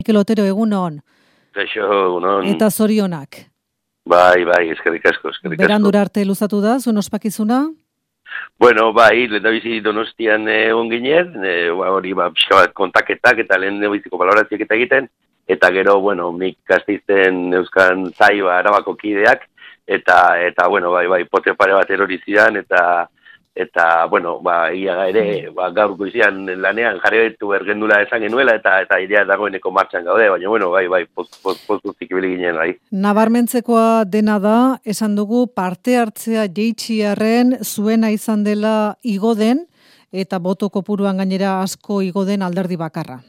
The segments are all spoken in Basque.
Mikel Otero, egunon. Kaixo, egunon. Eta zorionak. Bai, eskerrik asko. Berandura arte luzatu da, zuen ospakizuna? Bueno, bai, lehendabizi Donostian egon ginen, hori pixka bat kontaketak eta lehendabiziko balorazioak eta egiten, eta gero, bueno, nik Gasteizen Euskan Zai Arabako kideak, eta bueno, bai, pote pare bat erori zidan, eta bueno, ia ere, gaur goizian lanean jarretu ergendula esan genuela, eta idea dagoeneko martxan gaude, baina bueno, bai, postuzik ibili ginen, bai. Nabarmentzekoa dena da, esan dugu parte hartzea jeitxiarren zuena izan dela igo den, eta boto kopuruan gainera asko igo den alderdi bakarra.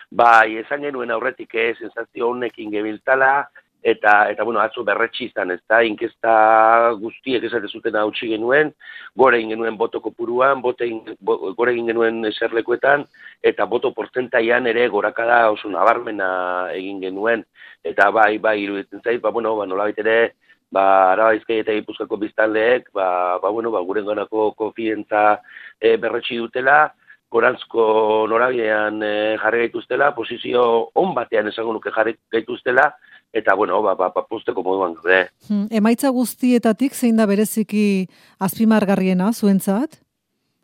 Bai, esan genuen aurretik sensazio honekin gebiltzala, eta bueno, atzo berretsi izan, ez da, inkesta guztiek esate zuten hautsi genuen, gore egin genuen boto kopuruan, gore egin genuen eserlekuetan, eta boto portzentaian ere gorakada oso nabarmena egin genuen, eta bai, iruditzen zait, nolabait ere, Araba Bizkaia eta Gipuzkoako biztanleek, guren ganako konfiantza berretsi dutela, gorantzko norabidean jarri gaituztela, posizio on batean esango nuke jarri gaituztela, eta, posteko moduan gaude. Emaitza guztietatik zein da bereziki azpimargarriena zuentzat?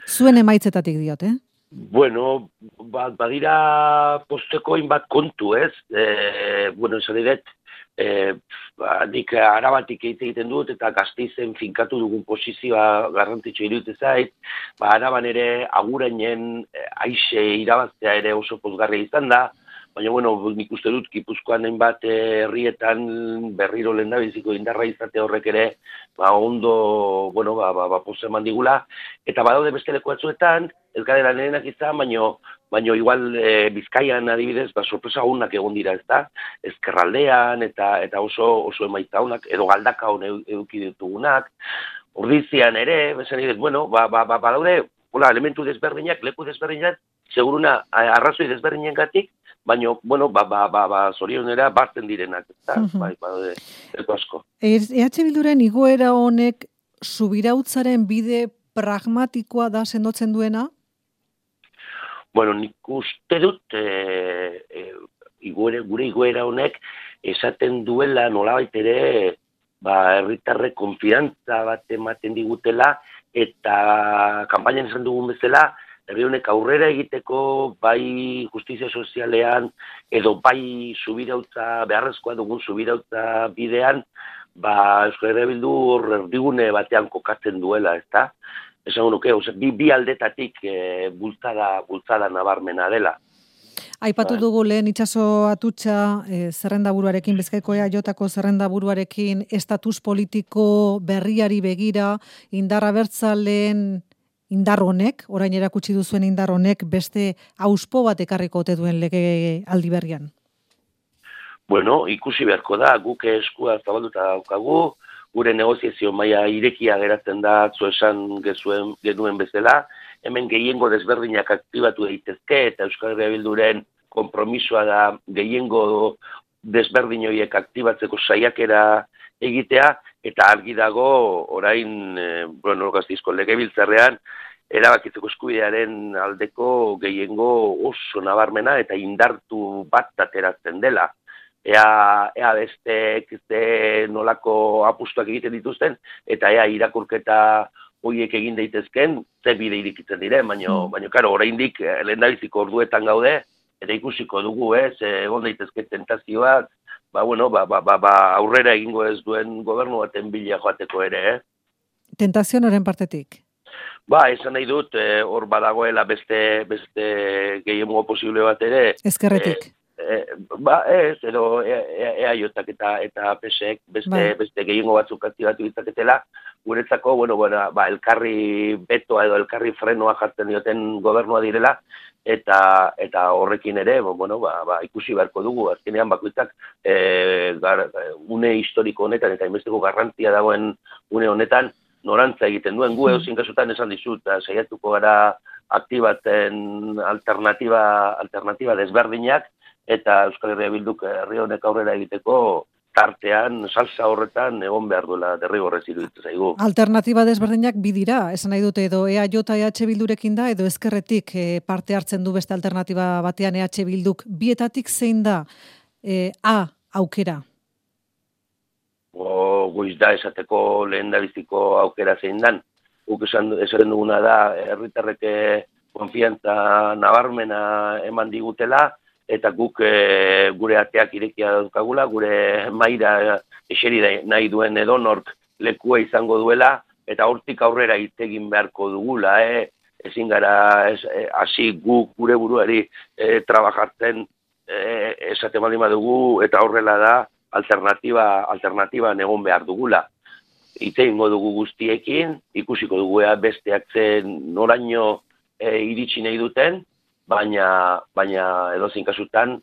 Zuen emaitzetatik diot, Bueno, badira posteko inbat kontu, ez? Esan diret, nik Arabatik egiten dut, eta Gasteizen finkatu dugun posizioa garrantzitsu iruditzen zait, Araban ere agurainen aixe irabaztea ere oso pozgarria izan da, baina, nik uste dut, Gipuzkoan hainbat herrietan berriro lehendabiziko indarra izate horrek ere, ondo, poza eman digula, eta badaude beste leku batzuetan, ez gadera lehenak izan, baina igual Bizkaian adibidez, sorpresa honak egon dira, ez da, ezkerraldean, eta oso emaitza honak, edo galdaka hon eduki ditugunak, Ordizian ere, besan idez, badaude, elementu desberdinak, leku desberdinak, seguruna arrazoi desberdinen gatik, baina, zorionera bartzen direnak, eta, badaude, asko. EH Bilduren igoera honek subirautzaren bide pragmatikoa da sendotzen duena? Nik uste dut, gure igoera honek esaten duela nolabait ere, herritarrek konfiantza bat ematen digutela, eta kanpainan esan dugun bezala, herri honek aurrera egiteko bai justizia sozialean, edo bai subirautza, beharrezkoa dugun subirautza bidean, Euskal Herria Bildu erdigune batean kokatzen duela, ez da? Esan nuke, bi aldetatik bultzada nabarmena dela. Aipatu dugu lehen Itxaso Atutxa zerrendaburuarekin, Bizkaiko EAJko zerrendaburuarekin, estatus politiko berriari begira, indar abertzaleen indar honek, orain erakutsi duzuen indar honek, beste auspo bat ekarriko ote duen lege aldi berrian? Ikusi beharko da, guk eskua zabalduta daukagu, gure negoziazio maila irekia geratzen da, esan genuen bezala, hemen gehiengo desberdinak aktibatu daitezke, eta Euskal Herria Bilduren konpromisoa da gehiengo desberdin horiek aktibatzeko saiakera egitea, eta argi dago orain, Gasteizko legebiltzarrean, erabakitzeko eskubidearen aldeko gehiengo oso nabarmena eta indartu bat ateratzen dela. Ea bestek nolako apustuak egiten dituzten, eta ea irakurketa horiek egin daitezken, ze bide irikitzen diren, baina karo, oraindik lehendabiziko orduetan gaude, eta ikusiko dugu, egon daitezke tentazioak, aurrera egingo ez duen gobernu baten bila joateko ere, Tentazio noren partetik? Esan nahi dut, hor badagoela beste gehiengo posible bat ere. Ezkerretik? Ez, edo EAJak eta PSek beste gehiengo batzuk aktibatu ditzaketela, guretzako, elkarri betoa edo elkarri frenoa jartzen dioten gobernua direla, eta horrekin ere, ikusi beharko dugu, azkenean bakoitzak une historiko honetan, eta inbesteko garrantzia dagoen une honetan, norantza egiten duen, gu eozin kasutan esan dizut, saiatuko gara aktibatzen alternatiba desberdinak, eta Euskal Herria Bilduk herri honek aurrera egiteko tartean, salsa horretan egon behar duela derrigorrez iruditzen zaigu. Alternatiba desberdinak bidira, esan nahi dute edo EAJ EH Bildurekin da, edo ezkerretik parte hartzen du beste alternatiba batean EH Bilduk. Bietatik zein da aukera? Goiz da esateko lehen dabiziko aukera zein dan. Guk esan duguna da, herritarrek konfiantza nabarmena eman digutela, eta guk gure ateak irekia daukagula, gure maira eseri nahi duen edonork lekua izango duela, eta hortik aurrera hitz egin beharko dugula, ezin gara hasi guk gure buruari trabajartzen esate baldin badugu, eta horrela da alternatiba egon behar dugula. Hitz egingo dugu guztiekin, ikusiko dugu besteak zen noraino iritsi nahi duten, baina edozein kasutan,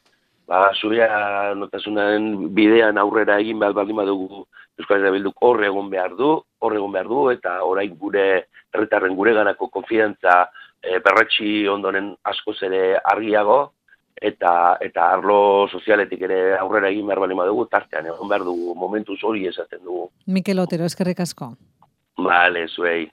zuria notasunaren bidean aurrera egin behar baldin badugu Euskal Herria Bilduk hor egon behar du, eta orain gure herritarren gureganako konfidantza berretsi ondoren askoz ere argiago, eta arlo sozialetik ere aurrera egin behar baldin badugu, tartean egon behar dugu, momentuz hori esaten dugu. Mikel Otero, eskerrik asko. Bale, zuei.